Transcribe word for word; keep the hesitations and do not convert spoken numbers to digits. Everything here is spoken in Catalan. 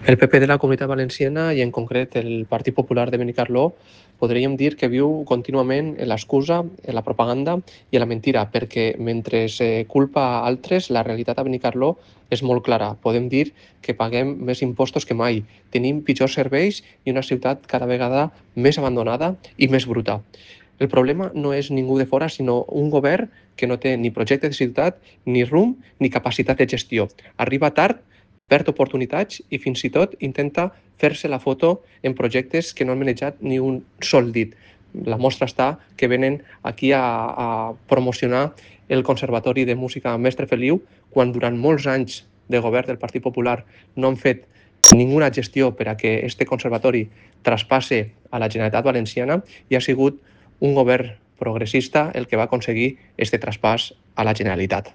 El P P de la Comunitat Valenciana i en concret el Partit Popular de Benicarló podríem dir que viu contínuament en l'excusa, en la propaganda i en la mentira, perquè mentre se culpa a altres, la realitat a Benicarló és molt clara. Podem dir que paguem més impostos que mai, tenim pitjors serveis i una ciutat cada vegada més abandonada i més bruta. El problema no és ningú de fora, sinó un govern que no té ni projecte de ciutat, ni rumb, ni capacitat de gestió. Arriba tard, perd oportunitats i fins i tot intenta fer-se la foto en projectes que no han manejat ni un sol dit. La mostra està que venen aquí a, a promocionar el Conservatori de Música Mestre Feliu quan durant molts anys de govern del Partit Popular no han fet ninguna gestió per a que este conservatori traspasse a la Generalitat Valenciana i ha sigut un govern progressista el que va aconseguir este traspàs a la Generalitat.